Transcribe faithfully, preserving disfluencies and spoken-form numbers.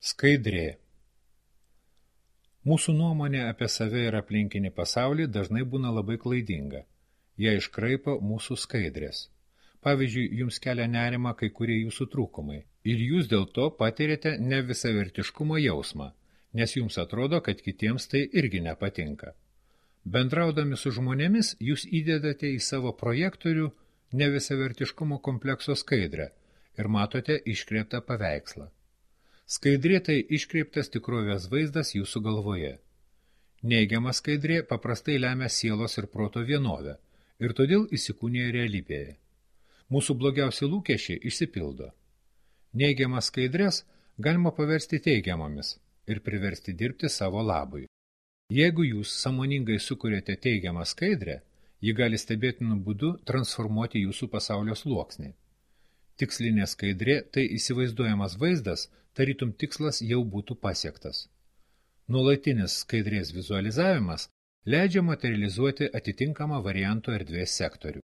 Skaidrė. Mūsų nuomonė apie save ir aplinkinį pasaulį dažnai būna labai klaidinga. Jie iškraipo mūsų skaidrės. Pavyzdžiui, jums kelia nerimą kai kurie jūsų trūkumai. Ir jūs dėl to patiriate nevisavertiškumo jausmą, nes jums atrodo, kad kitiems tai irgi nepatinka. Bendraudami su žmonėmis, jūs įdedate į savo projektorių nevisavertiškumo komplekso skaidrę ir matote iškreiptą paveikslą. Skaidrė tai iškreiptas tikrovės vaizdas jūsų galvoje. Neigiama skaidrė paprastai lemia sielos ir proto vienovę ir todėl įsikūnija realybėje. Mūsų blogiausi lūkesčiai išsipildo. Neigiamas skaidrės galima paversti teigiamomis ir priversti dirbti savo labui. Jeigu jūs sąmoningai sukuriate teigiamą skaidrę, ji gali stebėtinu būdu transformuoti jūsų pasaulio sluoksnį. Tikslinė skaidrė tai įsivaizduojamas vaizdas, tarytum tikslas jau būtų pasiektas. Nuolatinis skaidrės vizualizavimas leidžia materializuoti atitinkamą varianto erdvės sektorių.